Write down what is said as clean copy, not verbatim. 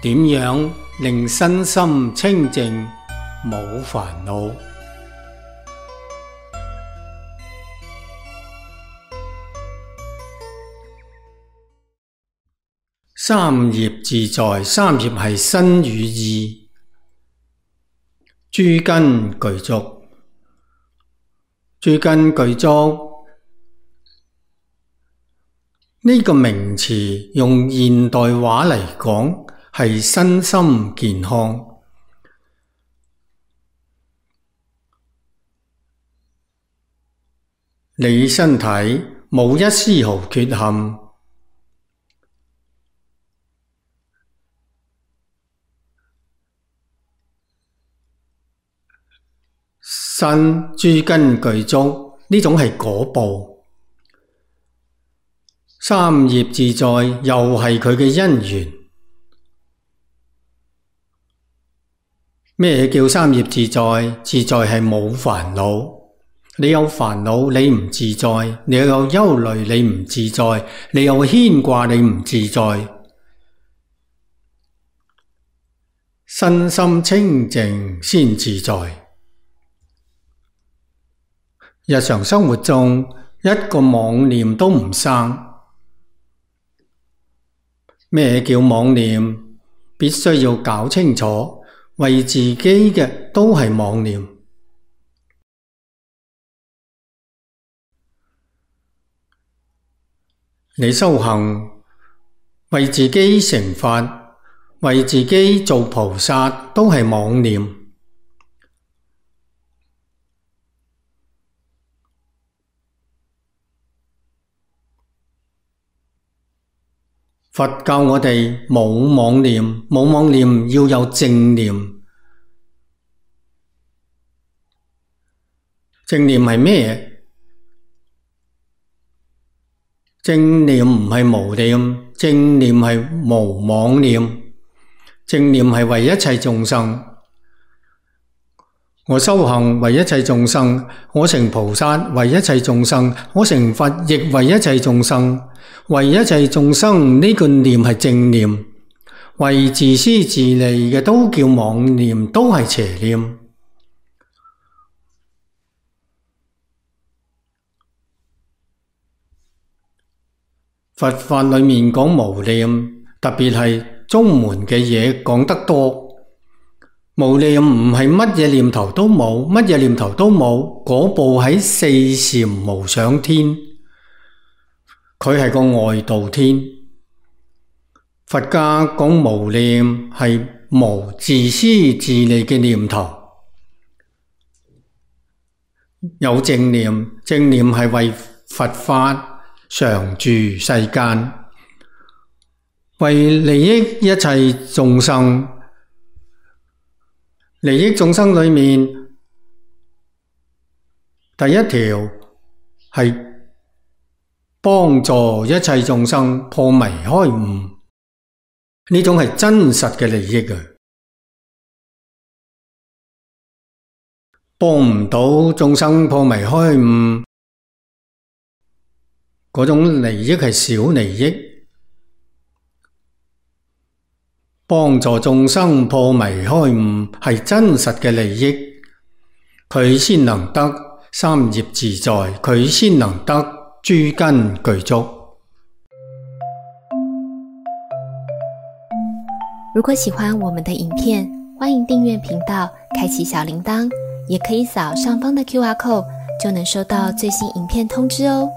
點樣令身心清靜冇煩惱？三業自在，三業係身語意，諸根具足。諸根具足呢個名詞用現代話嚟講係身心健康。你身體冇一絲毫缺陷，身諸根具足，呢種係果報。三業自在又係佢嘅因緣。咩叫三業自在？自在係冇煩惱。你有煩惱你唔自在，你有憂慮你唔自在，你有牽掛你唔自在。身心清淨先自在。日常生活中一個妄念都唔生。咩叫妄念？必須要搞清楚，為自己嘅都係妄念。你修行，為自己成佛，為自己做菩薩，都係妄念。佛教我哋冇妄念，冇妄念要有正念。正念係咩？正念唔係無念，正念係無妄念。正念係為一切眾生。我修行為一切眾生，我成菩薩為一切眾生，我成佛亦為一切眾生。為一切眾生呢個念係正念，為自私自利嘅都叫妄念，都係邪念。佛法裏面講無念，特別係宗門嘅嘢講得多。無念唔係乜嘢念頭都冇，乜嘢念頭都冇，嗰部喺四禪無想天，佢係個外道天。佛家講無念係無自私自利嘅念頭，有正念，正念係為佛法常住世間，為利益一切眾生。利益眾生裏面，第一條係幫助一切眾生破迷開悟，呢種係真實嘅利益啊！幫唔到眾生破迷開悟，嗰種利益係小利益。幫助眾生破迷開悟係真實嘅利益，佢先能得三業自在，佢先能得諸根具足。如果喜歡我們的影片，歡迎訂閱頻道，開啟小鈴鐺，也可以掃上方的QR code，就能收到最新影片通知哦。